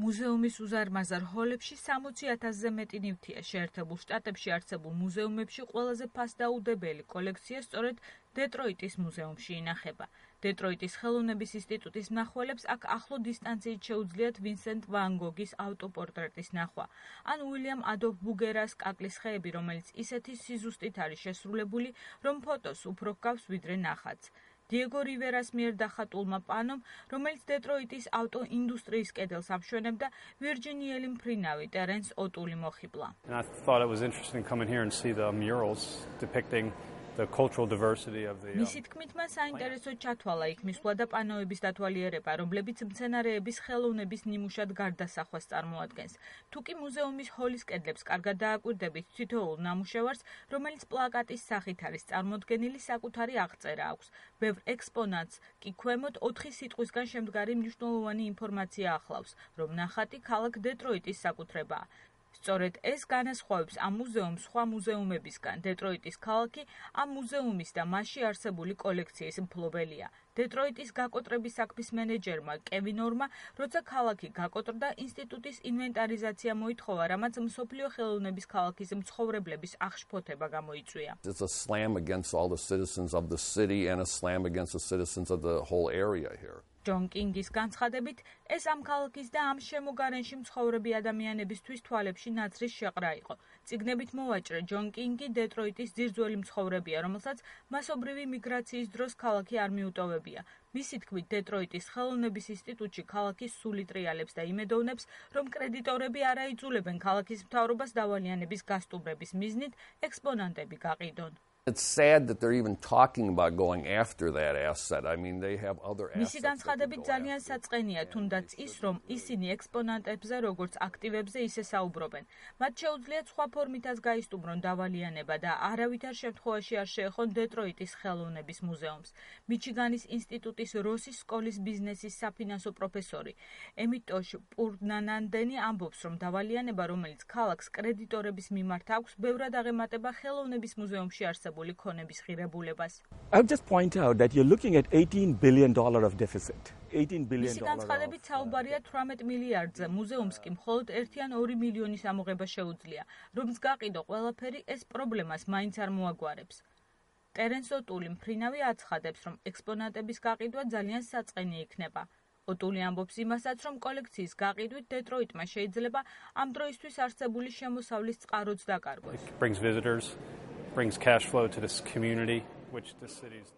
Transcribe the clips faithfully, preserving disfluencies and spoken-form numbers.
მუზეუმის უზარმაზარ ჰოლებში სამოცი ათასზე მეტი ნივთია. შეერთებულ შტატებში არსებულ მუზეუმებში ყველაზე ფასდაუდებელი კოლექცია სწორედ დეტროიტის მუზეუმში ინახება. დეტროიტის ხელოვნების ინსტიტუტის მნახველებს აქ ახლო დისტანციით შეუძლიათ ვინსენტ ვან გოგის ავტოპორტრეტის ნახვა, ან უილიამ ადოლფ ბუგერას კაკლის ხეები, რომელიც ისეთი სიზუსტით არის შესრულებული, რომ ფოტოს უფრო ჰგავს ვიდრე ნახატს. დიეგო რივერას მიერ დახატულმა პანომ, რომელიც დეტროიტის ავტოინდუსტრიის კედელს ამშვენებდა, ვირჯინიელი მფრინავი ტერენს ოტული მოხიბლა. I thought it was interesting to come in here and see the murals depicting the cultural diversity of the მისი თქმით, მას საინტერესოდ ჩათვალა იქ მისვლა და პანოების დათვალიერება, რომლებიც მცენარეების ხელოვნების ნიმუშად გარდასახვას წარმოადგენს. თუკი მუზეუმის ჰოლის კედლებს კარგად დააკვირდებით თითოეულ ნამუშევარს, რომელიც პლაკატის სახით არის წარმოდგენილი, საკუთარი აღწერა აქვს. ბევრ ექსპონატს კი ქვემოთ ოთხი სიტყვისგან შემდგარი მნიშვნელოვანი ინფორმაცია ახლავს, რომ ნახატი ქალაქ დეტროიტის საკუთრებაა. სწორედ ეს განასხვავებს ამ მუზეუმს სხვა მუზეუმებისგან. დეტროიტის ქალაქი ამ მუზეუმის და მასში არსებული კოლექციის მფლობელია. დეტროიტის გაკოტრების საქმის მენეჯერმა კევინ ორმა, როცა ქალაქი გაკოტრდა, ინსტიტუტის ინვენტარიზაცია მოითხოვა, რამაც მსოფლიო ხელოვნების ქალაქის მცხოვრებლების აღშფოთება გამოიწვია. It's a slam against all the citizens of the city and a slam against the citizens of the whole area here. ჯონ კინგის განცხადებით, ეს ამ ქალაქის და ამ შემოგარენში მცხოვრები ადამიანებისთვის თვალებში ნაცრის შეყრა იყო. წიგნებით მოვაჭრე, ჯონ კინგი დეტროიტის ძირძველი მცხოვრებია, რომელსაც მასობრივი მიგრაციის დროს ქალაქი არ მიუტოვებია. მისი თქმით, დეტროიტის ხელოვნების ინსტიტუტში ქალაქის სული ტრიალებს და იმედოვნებს, რომ კრედიტორები არ აიძულებენ ქალაქის მთავრობას დავალიანების გასტუმრების მიზნით ექსპონატები გაყიდონ. It's sad that they're even talking about going after that asset. I mean, they have other assets. მისი განცხადებით ძალიან საწყენია, თუნდაც ის, რომ ისინი ექსპონატებზე როგორც აქტივებზე ისე საუბრობენ. მათ შეუძლიათ სხვა ფორმითაც გაისტუმრონ დავალიანება და არავითარ შემთხვევაში არ შეეხონ დეტროიტის ხელოვნების მუზეუმს. მიჩიგანის ინსტიტუტის როსის სკოლის ბიზნესის საფინანსო პროფესორი ემიტოშ პურნანანდენი ამბობს, რომ დავალიანება, რომელიც ქალაქს კრედიტორების მიმართ აქვს, ბევრად აღემატება ხელოვნების მუზეუმში არსებულ I would just point out that you're looking at eighteen billion dollars of deficit. eighteen billion dollars. მისი განცხადებით საუბარია თვრამეტ მილიარდზე, მუზეუმს კი მხოლოდ ერთი ან ორი მილიონის ამოღება შეუძლია. რომც გაყიდო ყველაფერი, ეს პრობლემას მაინც არ მოაგვარებს. ტერენს ოტული მფრინავი აცხადებს, რომ ექსპონატების გაყიდვა ძალიან საწყენი იქნება. ოტული ამბობს იმასაც, რომ კოლექციის გაყიდვით დეტროიტმა შეიძლება ამ დროისთვის არსებული შემოსავლის წყაროც დაკარგოს. brings cash flow to this community, which the city's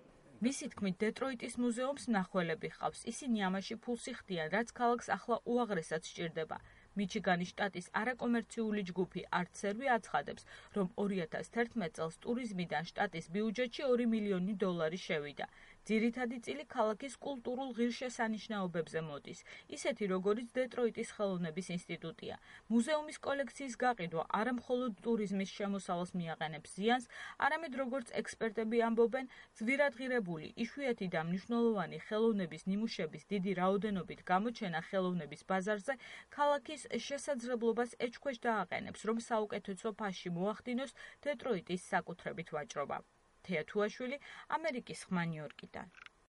მისი თქმით, დეტროიტის მუზეუმს მნახველები ჰყავს. ისინი ამაში ფულს იხდიან, რაც ქალაქს ახლა უაღრესად სჭირდება. მიჩიგანის შტატის არაკომერციული ჯგუფი ArtServe აცხადებს, რომ ორი ათას თერთმეტ წელს ტურიზმიდან შტატის ბიუჯეტში ორი მილიონი დოლარი შევიდა. ძირითადი წილი ქალაქის კულტურულ ღირსშესანიშნაობებზე მოდის, ისეთი როგორიც დეტროიტის ხელოვნების ინსტიტუტია. მუზეუმის კოლექციის გაყიდვა არა მხოლოდ ტურიზმის შემოსავალს მიაყენებს ზიანს, არამედ როგორც ექსპერტები ამბობენ, ძვირადღირებული, იშვიათი და მნიშვნელოვანი ხელოვნების ნიმუშების დიდი რაოდენობით გამოჩენა ხელოვნების ბაზარზე ქალაქის შესაძლებლობას ეჭქვეშ დააყენებს, რომ საუკეთესო ფასში მოახდინოს დეტროიტის საკუთრებით ვაჭრობა. თეა თუაშვილი, ამერიკის ხმა ნიუ-იორკიდან.